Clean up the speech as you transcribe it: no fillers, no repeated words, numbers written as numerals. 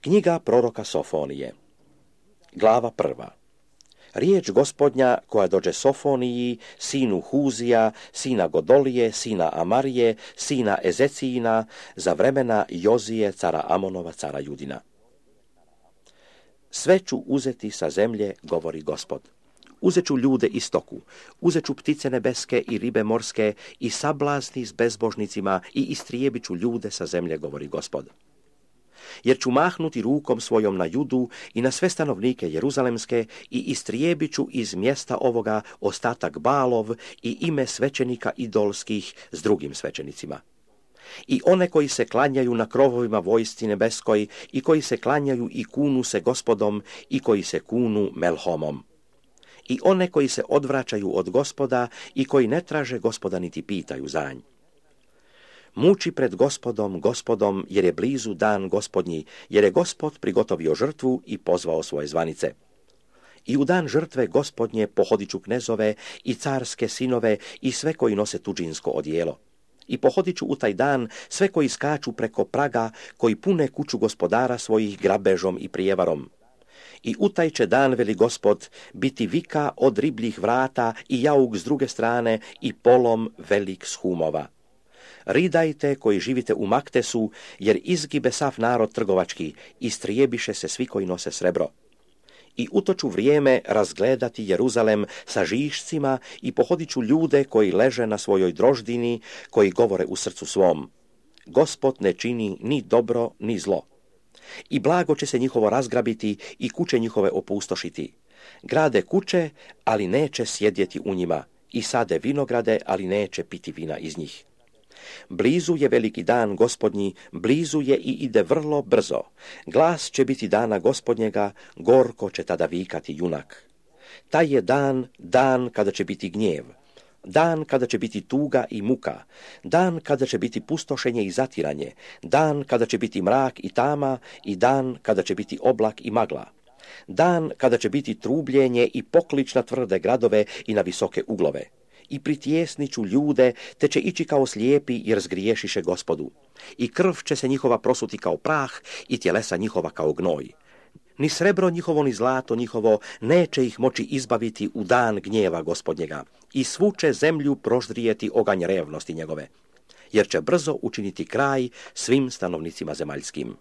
Knjiga proroka Sofonije. Glava 1. Riječ Gospodnja koja dođe Sofoniji, sinu Huzija, sina Godolije, sina Amarije, sina Ezecijina, za vremena Jozije, cara Amonova, cara Judina. Sve ću uzeti sa zemlje, govori Gospod. Uzet ću ljude i stoku, uzet ću ptice nebeske i ribe morske i sablazni s bezbožnicima i istrijebit ću ljude sa zemlje, govori Gospod. Jer ću mahnuti rukom svojom na Judu i na sve stanovnike Jeruzalemske i istrijebit ću iz mjesta ovoga ostatak Balov i ime svećenika idolskih s drugim svećenicima. I one koji se klanjaju na krovovima vojsci nebeskoj i koji se klanjaju i kunu se Gospodom i koji se kunu Melhomom. I one koji se odvraćaju od Gospoda i koji ne traže Gospoda niti pitaju za nj. Muči pred Gospodom, jer je blizu dan Gospodnji, jer je Gospod prigotovio žrtvu i pozvao svoje zvanice. I u dan žrtve Gospodnje pohodit ću knezove i carske sinove i sve koji nose tuđinsko odijelo. I pohodit ću u taj dan sve koji skaču preko praga, koji pune kuću gospodara svojih grabežom i prijevarom. I u taj će dan, veli Gospod, biti vika od ribljih vrata i jauk s druge strane i polom velik s humova. Ridajte koji živite u Maktesu, jer izgibe sav narod trgovački, istrijebiše se svi koji nose srebro. I u to ću vrijeme razgledati Jeruzalem sa žišcima i pohodit ću ljude koji leže na svojoj droždini, koji govore u srcu svom. Gospod ne čini ni dobro ni zlo. I blago će se njihovo razgrabiti i kuće njihove opustošiti. Grade kuće, ali neće sjedjeti u njima, i sade vinograde, ali neće piti vina iz njih. Blizu je veliki dan Gospodnji, blizu je i ide vrlo brzo. Glas će biti dana Gospodnjega, gorko će tada vikati junak. Taj je dan kada će biti gnjev, dan kada će biti tuga i muka, dan kada će biti pustošenje i zatiranje, dan kada će biti mrak i tama i dan kada će biti oblak i magla. Dan kada će biti trubljenje i poklič na tvrde gradove i na visoke uglove. I pritjesnit ću ljude, te će ići kao slijepi jer zgriješiše Gospodu. I krv će se njihova prosuti kao prah i tjelesa njihova kao gnoj. Ni srebro njihovo, ni zlato njihovo neće ih moći izbaviti u dan gnjeva Gospodnjega. I svu će zemlju proždrijeti oganj revnosti njegove, jer će brzo učiniti kraj svim stanovnicima zemaljskim.